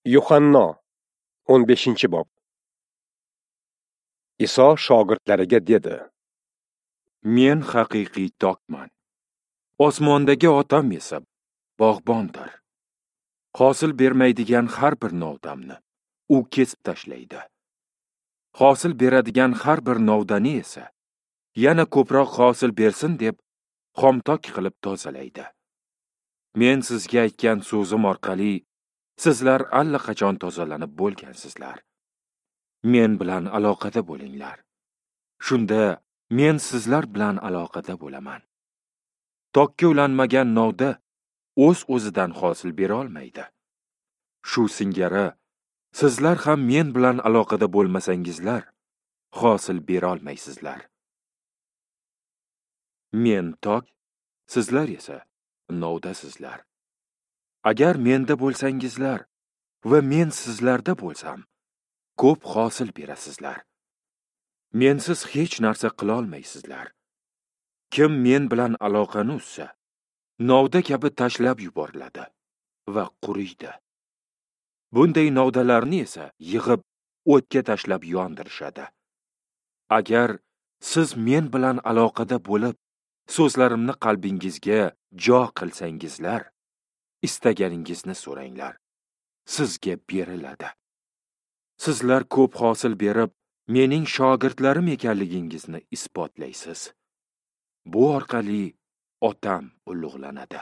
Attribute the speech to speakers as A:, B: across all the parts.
A: Yuhanno 15-bob. Iso shogirdlariga dedi:
B: Men haqiqiy tokman. Osmondagi Otam esa bog'bondir. Hosil bermaydigan har bir novdamni u kesib tashlaydi. Hosil beradigan har bir novdani esa yana ko'proq hosil bersin deb xomtok qilib tozalaydi. Men sizga aytgan so'zim orqali sizlar allaqachon tozalanib bo'lgansizlar. Men bilan aloqada bo'linglar. Shunda men sizlar bilan aloqada bo'laman. Tokka ulanmagan novda o'z-o'zidan hosil bera olmaydi. Shu singari sizlar ham men bilan aloqada bo'lmasangizlar, hosil bera olmaysizlar. Men tok, sizlar esa novdasizlar. Agar menda bo'lsangizlar va men sizlarda bo'lsam, ko'p hosil berasizlar. Mensiz hech narsa qila olmaysizlar. Kim men bilan aloqani uzsa, novda kabi tashlab yuboriladi va quriydi. Bunday novdalarni esa yig'ib o'tga tashlab yondirishadi. Agar siz men bilan aloqada bo'lib, so'zlarimni qalbingizga jo qilsangizlar, istaganingizni so'ranglar, sizga beriladi. Sizlar ko'p hosil berib, mening shogirdlarim ekanligingizni isbotlaysiz. Bu orqali Otam ulug'lanadi.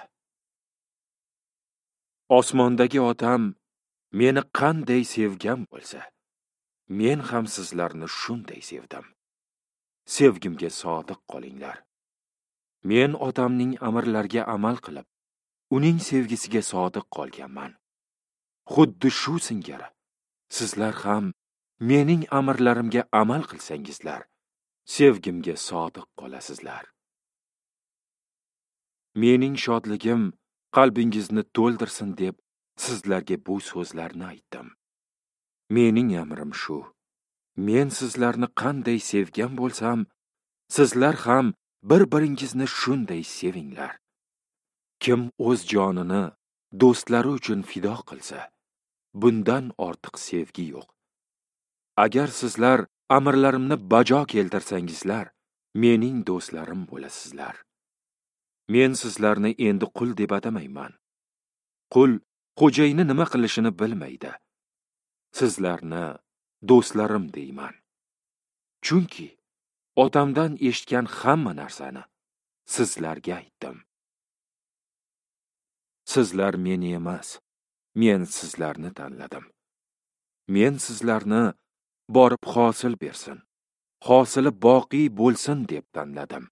B: Osmondagi Otam meni qanday sevgan bo'lsa, men ham sizlarni shunday sevdim. Sevgimga sodiq qolinglar. Men Otamning amrlariga amal qilib, uning sevgisiga sodiq qolganman. Xuddi shu singari sizlar ham mening amrlarimga amal qilsangizlar, sevgimga sodiq qolasizlar. Mening shodligim qalbingizni to'ldirsin deb sizlarga bu so'zlarni aytdim. Mening amrim shu: men sizlarni qanday sevgan bo'lsam, sizlar ham bir-biringizni shunday sevinglar. Kim o'z jonini do'stlari uchun fido qilsa, bundan ortiq sevgi yo'q. Agar sizlar amrlarimni bajo keltirsangizlar, mening do'stlarim bo'lasizlar. Men sizlarni endi qul deb atamayman. Qul xo'jayini nima qilishini bilmaydi. Sizlarni do'stlarim deyman. Chunki Otamdan eshitgan hamma narsani sizlarga aytdim. Sizlar meni emas, men sizlarni tanladim. Men sizlarni borib hosil bersin, hosili boqiy bo'lsin deb tanladim.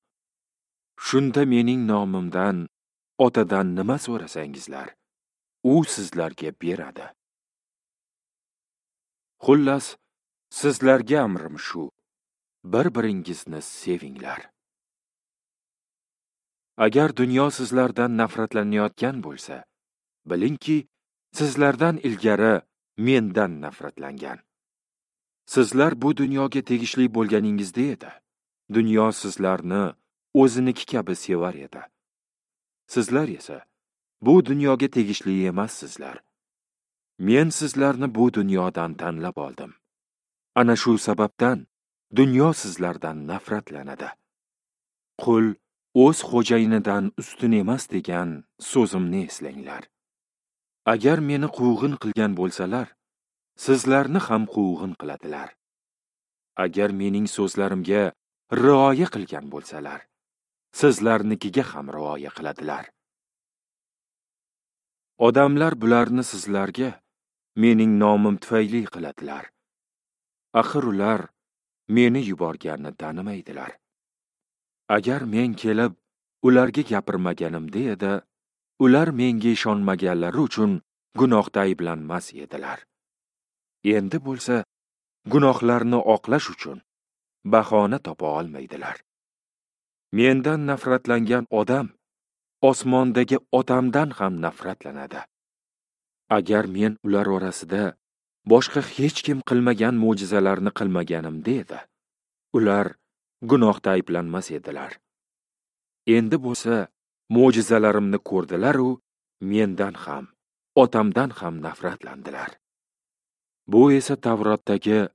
B: Shunda mening nomimdan Otadan nima so'rasangizlar, u sizlarga beradi. Xullas, sizlarga amrim shu: bir-biringizni sevinglar. Agar dunyo sizlardan nafratlanayotgan bo'lsa, bilingki, sizlardan ilgari mendan nafratlangan. Sizlar bu dunyoga tegishli bo'lganingizda edi, dunyo sizlarni o'ziniki kabi sevar edi. Sizlar esa bu dunyoga tegishli emassizlar. Men sizlarni bu dunyodan tanlab oldim. Ana shu sababdan dunyo sizlardan nafratlanadi. Qul o'z xo'jayinidan ustun emas degan so'zimni eslanglar. Agar meni quvg'in qilgan bo'lsalar, sizlarni ham quvg'in qiladilar. Agar mening so'zlarimga rioya qilgan bo'lsalar, sizlarnikiga ham rioya qiladilar. Odamlar bularni sizlarga mening nomim tufayli qiladilar. Axir ular meni yuborganni tanimaydilar. Agar men kelib ularga gapirmaganimda edi, ular menga ishonmaganlari uchun gunohda ayblanmas edilar. Endi bo'lsa, gunohlarni oqlash uchun bahona topa olmaydilar. Mendan nafratlangan odam osmondagi Otamdan ham nafratlanadi. Agar men ular orasida boshqa hech kim qilmagan mo'jizalarni qilmaganimda edi, ular gunohda ayblanmas edilar. Endi bo'lsa, mo'jizalarimni ko'rdilar-u, mendan ham, Otamdan ham nafratlandilar. Bu esa Tavrotdagi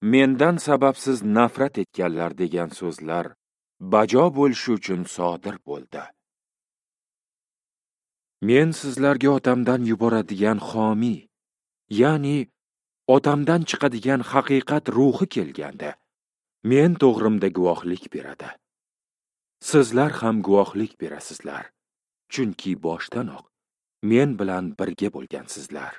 B: mendan sababsiz nafrat etganlar degan so'zlar bajo bo'lishi uchun sodir bo'ldi. Men sizlarga Otamdan yuboradigan xomiy, ya'ni Otamdan chiqadigan haqiqat ruhi kelganda, men to'g'rimda guvohlik beradi. Sizlar ham guvohlik berasizlar, chunki boshdanoq men bilan birga bo'lgansizlar.